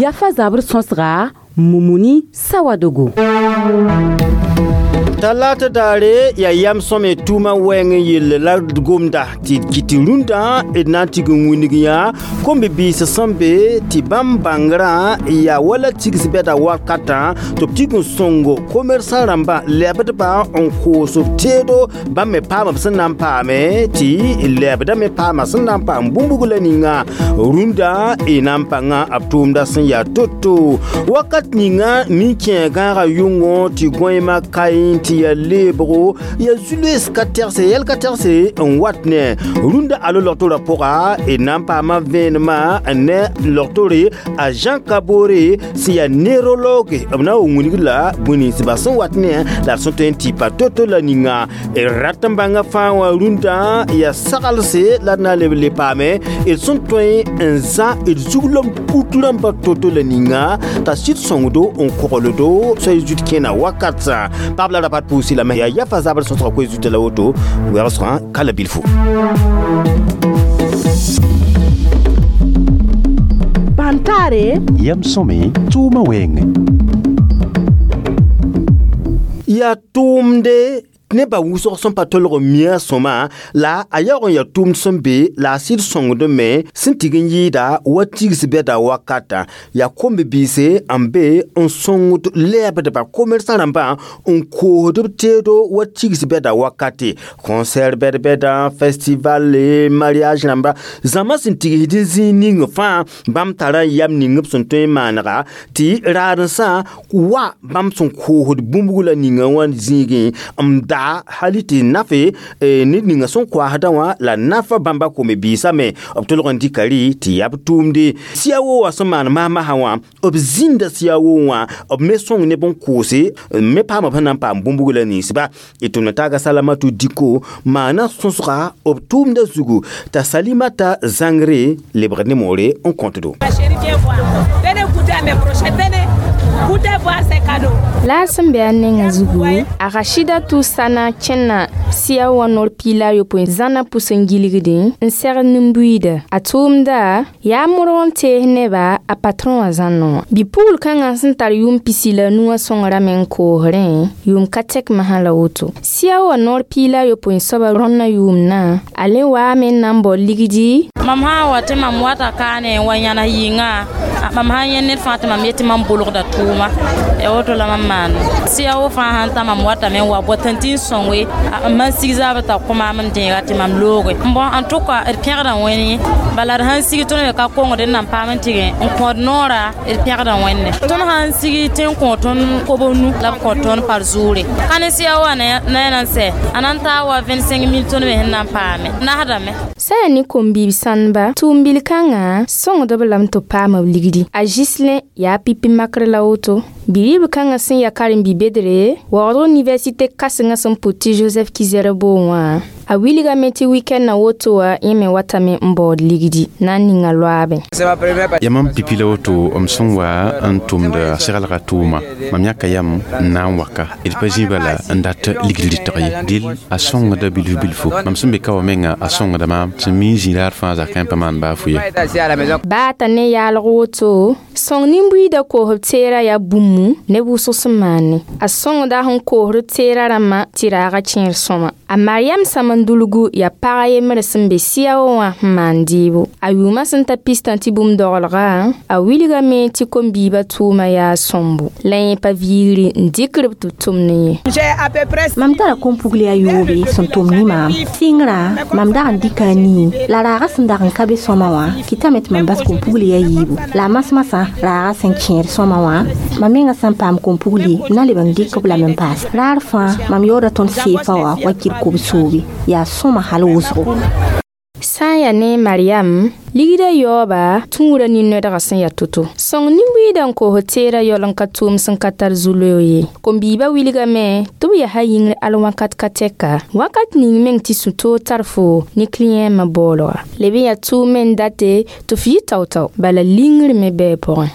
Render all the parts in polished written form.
Yafa zabr sõsga Mumuni Sawadogo. Talata daare yaa yam sõme tʋʋmã wɛɛng n yell la d gomda tɩ d kɩt rũndã d na n tig n wilg yã kom-bi-biis sẽn be tɩ bãmb bãngrã yaa wala tigs bɛda wakatã tɩ b tig n sõngo komɛrsã rãmbã lɛbdba n koos b teedo bãmb me paama b sẽn na n paame tɩ lɛbda me paama sẽn na n paam bũmb la ninga rũndã y na n pãnga b tʋʋmda sẽn yaa to-to wakat ninga nin-kẽeg gãagã yʋngo tɩ gõeemã kaẽ tɩ yaa leebgo yaa zu-loees ka tɛgse yɛl ka tɛgse n wat ne rũndã alo logtorã pʋga d na n paama vẽenemã ne logtore a Jean Kabore sẽn yaa neurologue b na n wilg la bũe-ninsbã sẽn wat ne la d sẽn tõe n tɩ pa to-to la ninga d rat n bãnga fãa wã rũndã yaa saglse la d na n leb le paame d sẽn tõe n zã d zuglem put rãmbã to-to la ninga t'a sɩd sõngdo n kogldo soay zut kẽna wakatã paab la rapat pʋʋsi lame yaa yafa zabr sõsga koe zuta la woto wɛgsgã ka la bilfu. Bantare yam sõme tʋʋmã wɛɛngẽ. Yaa tʋʋmde nebã wʋsg sẽn pa tolg n mia sõma la a yaoog n yaa tʋʋmd sẽn be la a sɩd sõngd me sẽn tig n yɩɩda wa tigs bɛda wakatã yaa kom-bi-biise n be n sõngd lɛɛbdba komɛrsã rãmbã n koosd b teedo wa tigs bɛda wakate concert bɛd-bɛdã festival mariage rãmba zãma sẽn tigsd n zĩig ning fãa bãmb tara n yam ning b sẽn tõe n maanega tɩ raadensã wa bãmb sẽn koosd bũmb la ninga wã zĩigẽ n da hali tɩ nafe ned ninga sẽn koasdã wã la nafa bãmba kom-biisã me b tolg n dɩka rɩ tɩ yaa b tʋʋmde siya-wo wã sẽn maan masmasã wã b zĩnda siya-wo wã b me sõng neb n koose n me paama b sẽn na n paam bũmb la ninsba d tʋmd taaga Salamatu Diko maana sõsga b tʋʋmda zugu t'a Salimata zãngre lebgd ne moore n kõtdo. La a sẽn be a nengã zugu a Rashidatu Sana kẽnna sɩa wã noor piila a yopoe zãna pʋs n gilgdẽ n segd nin-buiida a tʋʋmda yaa modg n tees neba a patron wã zãnna wã bi-pugl kãngã sẽn tar yʋʋm pisi la nu wã sõngrame n koosrẽ yʋʋm ka tɛk masã la woto sɩa wã noor piila a yopoe soaba rõnnã yʋʋmdã a le waame n na n bao ligdi mam sã n wa tɩ mam wata kaane n wa yãnes yɩnga mam sã n yẽ ned fãa tɩ mam yetɩ mam bolgda tʋʋma ya woto la mam maan sɩa wo fãa sãn ta mam watame n wa bɔt n tɩ n sõngoe n man sig zaabr t'a kõ maam n dẽega tɩ mam looge bon en tout cas d pẽgda wẽne bala d sãn sig tõnd me ka kongd n na n paam n tɩg n kõod noora d pẽgda wẽnne tõnd sãn sig tɩ n kõ tõnd kob nu la b kõ tõnd par zuure ka ne sɩa wa na ya na n sɛ a na n taa wa 25 000 tõnd me sẽn na n paame nasdame. Sã yaa ne kom-biib sãndba tʋʋm-bil kãngã sõngdb lame tɩ b paam b ligdi a Gislin yaa pipi makr la woto bi-ribl kãngã sẽn yaa karen-bi-bedre waoodg université kãsengã sẽn pʋt tɩ Joseph Kizerbo wã a wilgame tɩ wikɛndã woto wã yẽ me watame n baood ligdi na n ninga loaabẽ. Yaa mam pipi la woto m sẽn wa n tʋmd seglga tʋʋma mam yãka yam n na n waka d pa zĩ bala n dat ligd rɩtg ye dɩl a sõngda bilf bilfo mam sẽn be ka wã menga a sõngda maam sẽn mi n zĩ raar fãa zakã pa maan baa fʋ ye. Baa t'a ne yaalg woto sõng nin-buiidã koos b teerã yaa bũmb neb wʋsg sẽn maane a sõngda sẽn koosd teerã rãmbã tɩ raaga kẽer sõma a Mariam Samandulgu yaa pag a yembre sẽn be sɩa-wã wã n maan dɩɩbo a yʋʋmã sẽn ta pistã tɩ bũmb dogelga a wilgame tɩ kom-biibã tʋʋma yaa sõmbo la yẽ pa viigri n dɩkr b tɩ b tʋmd ne yẽ. Mam tara kom-pugli a yoobe sẽn tʋm ne maam sɩngrã mam dag n dɩka a nii la raaga sẽn dag n ka be sõma wã kɩtame tɩ mam bas kom-pugli a yiibu la a masmasã raaga sẽn kẽed sõma wã mam menga sẽn paam kom-pugli n na leb n dɩk b lame n paas raar fãa mam yaooda tõnd seefa wã wa kɩr kob-soobe yaa sõma hal wʋsgo. Sã n yaa ne Mariam ligdã yaooba tũurã nin-noɛdgã sẽn yaa to-to sõng nin-buiidã n koos teerã yaool n ka tʋʋm sẽn ka tar zu-looog ye kom-biibã wilgame tɩ b yaa yĩngr al wãkat ka tɛka wakat ning meng tɩ sũ-toog tar fo ne cliɛɛmã baoolga leb n yaa tʋʋm me n date tɩ f yɩ tao-tao bala lingr me bɩ a pʋgẽ.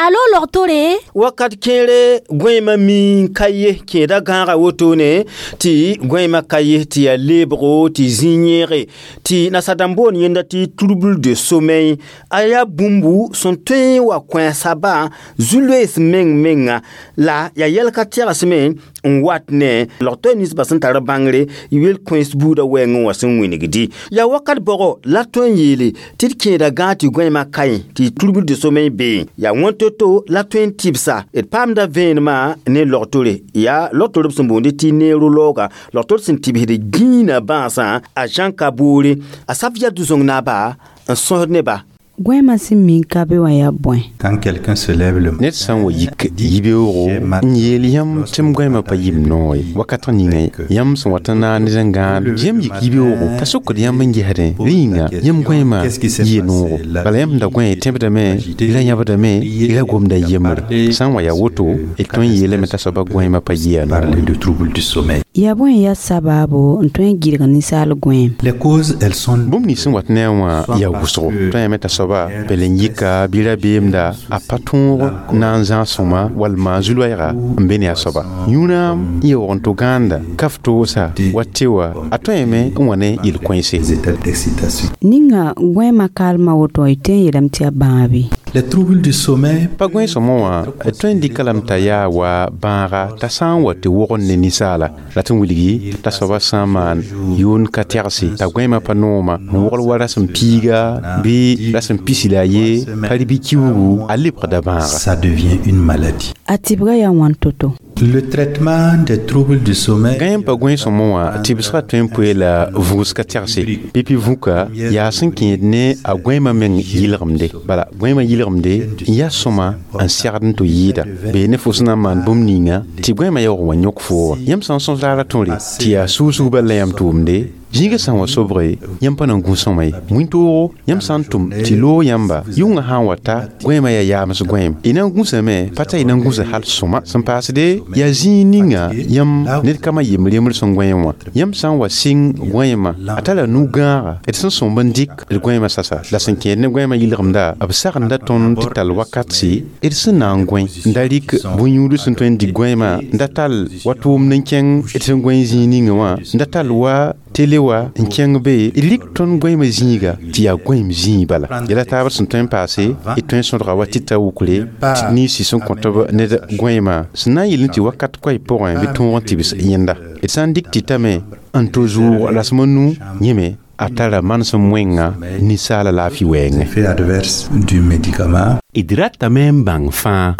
Alo logtore Wakat kẽere gõeemã mi ka ye kẽeda gãaga wotone tɩ gõeemã ka ye tɩ yaa leebgo tɩ zĩ yẽege tɩ nasadãmb boon yẽnda tɩ trouble de sommeil a yaa bũmbu sẽn tõe n wa kõ a sabã zu-loees meng menga la yaa yɛl ka tɛgsme n wat ne logto ninsbã sẽn tar bãngre yel kões buudã wɛɛngẽ wã sẽn wĩnigdi yaa wakat bɔgɔ la tõe n yeele tɩ d kẽeda gãag tɩ gõeemã kaẽ tɩ trouble de sommeil bee yaa wãn to-to la tõe n tɩbsa d paamda vẽenemã ne logtore yaa logtor b sẽn boonde tɩ neurologa logtor sẽn tɩbsd gĩinã bãasã a Jean Kaboore a saf yaa du-sõng naaba n sõsd neba. Gõeemã sẽn mi n ka be wã yaa bõe? Quand quelqu'un se lève le Ned sã n wa yik yibeoogo n yeel yãmb tɩ m gõeemã pa yib noor ye wakat ninga yãmb sẽn wat n naag ned n gãad yãmb yik yibeoogo t'a sokd yãmb n gesdẽ rẽ yĩnga yãmb gõeemã yɩ noogo bala yãmb da gõe tẽbdame y ra yãbdame y ra gomda yembre sã n wa yaa woto d tõe n yeelame t'a soaba gõeemã pa yɩa noor. Parler de trouble du sommeil. Yaa bõe n yaa sabaabo n tõe n gɩdg ninsaal gõeem? Les causes, elles sont Bũmb nins sẽn wat ne a wã yaa wʋsgo tõe yame t'a soaba bel n yika bɩ rabeemda a pa tõog na n zãag sõma walma zu-loɛɛga n be ne a soaba yũuna n yaoog n to gãanda kaf toosa wa tɩ wa a tõeme n wa ne yel-kõense. Des états d'excitation. Ninga gõeemã kaalmã woto y tõe n yeelame tɩ yaa bãabe? Les troubles du sommeil Pa gõe sõmõ wã d tõe n dɩka lame t'a yaa wa bãaga t'a sã n wa tɩ wogd ne ninsaala la tɩ n wilgi t'a soaba sã n maan yʋʋn ka tɛgse t'a gõeemã pa nooma n wogl wa rasem piiga bɩ rasem pisi la a ye pa rɩ bɩ kiuugu a lebgda bãaga. Ça devient une maladie. A tɩbga yaa wãn to-to? Le traitement des troubles du sommeil Gã pa gõe sõmõ wã tɩbsgã tõe n poe la vʋʋs ka tɛgse pipi vũka yaa sẽn kẽed ne a gõeemã meng yɩlgemde bala gõeemã yɩlgemde n yaa sõma n segd n tɩ yɩɩda bee ne fo sẽn na n maan bũmb ninga tɩ gõeemã yaoog wa yõk foo wã yãmb sã n sõs laara tõre tɩ yaa sʋʋsg bal la yãmb tʋʋmde zĩigã sã n wa sobge yãmb pa na n gũ sõma ye wĩntoog yãmb sã n tʋm tɩ loog yãmba yʋngã sã n wa ta gõeemã yaa yaams gõeem y na n gũsame pa t'a y na n gũsa hal sõma sẽn paasde yaa zĩig ninga yãmb ned kama yembr yembr sẽn gõeem wã yãmb sã n wa sɩng gõeemã a tara nu-gãaga d sẽn sõmb n dɩk d gõeemã sasa la sẽn kẽed ne gõeemã yɩlgemda b sagenda tõnd tɩ tall wakatse d sẽn na n gõe n da rɩk bõn-yũud sẽn tõe n dɩk gõeemã n da tall wa tʋʋmd n kẽng d sẽn gõe zĩig ninga wã n da tall wa tele wa n kẽng be d rik tõnd gõeemã zĩiga tɩ yaa gõeem zĩig bala yɛla taabr sẽn tõe n paase d tõe n sõdga wa tɩ ta wukre tɩ ninsi sẽn kõt b ned gõeemã sẽn na n yeel tɩ wakat koɛy pʋgẽ bɩ tõog n tɩbs yẽnda d sã n dɩk tɩ tame n to zʋʋg rasem nu yẽme a tara manesem wẽnga ninsaala laafɩ wɛɛngẽ. Effet adverse du médicament. D ratame n bãng fãa.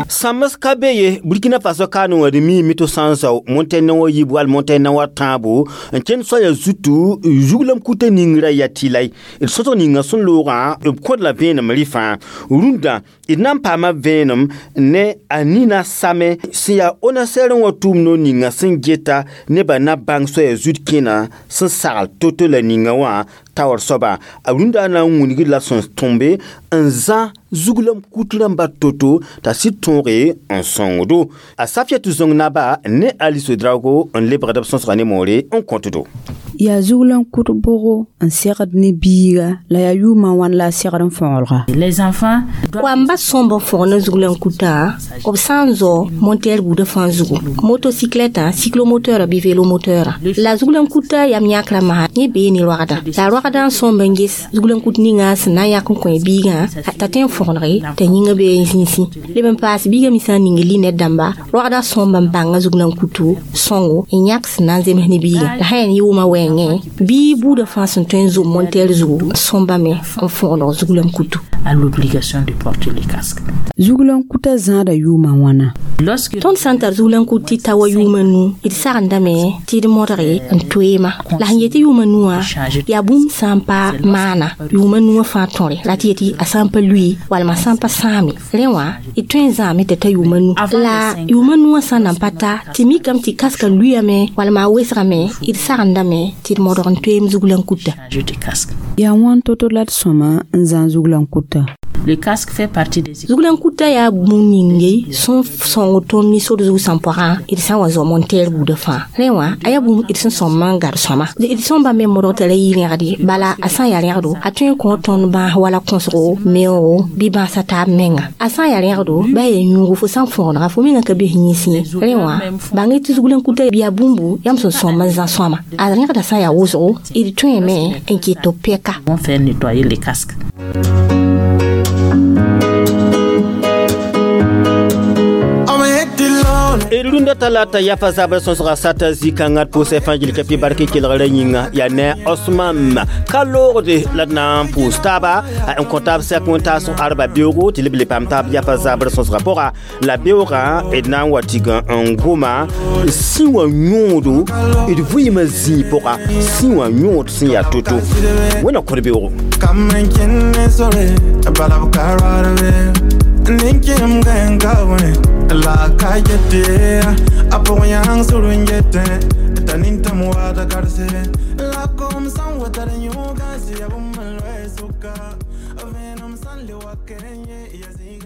Sãms ka be ye Burkina Faso kaane wã d miime tɩ sã n sao montɛn wa yiib wall montɛn wa tãabo n kẽnd soaya zutu zuglam kuta ningrã yaa tɩlay d sõsg ninga sẽn loogã b kõd la vẽenem rɩfã rũndã d na n paama vẽenem ne a nina same sẽn yaa onasɛr n wa tʋʋm no ninga sẽn geta nebã na bãng soaya zut kẽna sẽn sagl to-to la ninga wã taoor soaba a rũndã na n wingd la sẽn tõmbe n zã zuglam kut rãmba to-to t'a sɩd tõoge n sõngdo a Safiatou Zõng naba ne Alice Drago n lebgd b sõsga ne moore n kõtdo. Yaa zuglan kut bʋgo n segd ne biiga la yaa yʋʋmã wãn la a segd n fõgelga? Les enfants Wamba sõmb n fõg ne zuglan kutã b sã n zao montɛɛr buudã fãa zugu motocyclette cyclomoteur bɩ vélomoteur la zuglan kutã yam yãkrã masã yẽ bee ne roagdã la roagdã n sõmb n ges zuglan kut ninga sẽn na n yak n kõ biigã t'a tõe n fõgenege t'a yĩngã bee n zĩisẽ leb n paas biigã me sã n ning linɛt dãmba roagdã sõmb n bãnga zuglan kutu sõngo n yãk sẽn na n zems ne biigã la sã yaa yʋʋmã wɛɛngẽ bɩ buudã fãa sẽn tõe n zom montɛɛr zugu sõmbame n fõgeneg zuglan kutu. A l'obligation de porter les casques. Zuglan kuta zãada yʋʋmã wãna? Lorsque Tõnd sã n tar zuglan kut tɩ ta wa yʋʋmã nu d sagendame tɩ d modge n toeema la sẽn yetɩ yʋʋmã nuwã yaa bũmb sã n pa maana yʋʋmã nuwã fãa tõre la tɩ yetɩ a sã n pa lui walma sã n pa sãame rẽ wã d tõe n zãame tɩ ta yʋʋmã nu la yʋʋmã nuwã sã n nan pa ta tɩ mikame tɩ kaska luyame walma a wesgame d sagendame tɩ d modg n toeem zuglan kuta. Changer de casque. Yaa wãn to-to la d sõma n zãag zuglan kuta? Le casque fait partie des Zuglan-kutã yaa bũmb ning ye sẽn sõng tõnd ne sor zug sẽn pʋgã d sã n wa zoam n tɛɛr buudã fãa. Rẽ wã a yaa bũmb d sẽn sõm n gad sõma. D sõm bãmb me modg t'a ra yɩ rẽgd ye, bala a sã n yaa rẽgdo a tõe n kõ tõnd bãas wala kõsgo, meoogo bɩ bãasã taab menga. A sã n yaa rẽgdo bɩ a yaa yũugo fo sã n fõgenega fo mengã ka bes yĩns ye. Rẽ wã bãng tɩ zuglan-kutã yaa bũmbu yãmb sẽn sõm n zã sõama. A rẽgdã sã n yaa wʋsgo d tõeme n kɩt tɩ b pɛka. Vont faire nettoyer les casques. D rũndã talata yafa zabr sõsga sata zĩ-kãngã d pʋʋsɛ fãa gil ka pɩ bark kelgrã yĩnga yaa ne Osman ka loogde la d na n pʋʋs taaba n kõ taab sɛk wẽn-taasg arba beoogo tɩ leb le paam taab yafa zabr sõsga pʋga la beoogã d na n wa tɩg n goma sĩ wã yõodo d vɩɩmã zĩig pʋga sĩ wã yõod sẽn yaa to-to wẽna kõd beoogo. La kayete apoyang surungete tanintam wada karse la kom san wataran yoga si abummalwe suka venom san le wakenye yazi.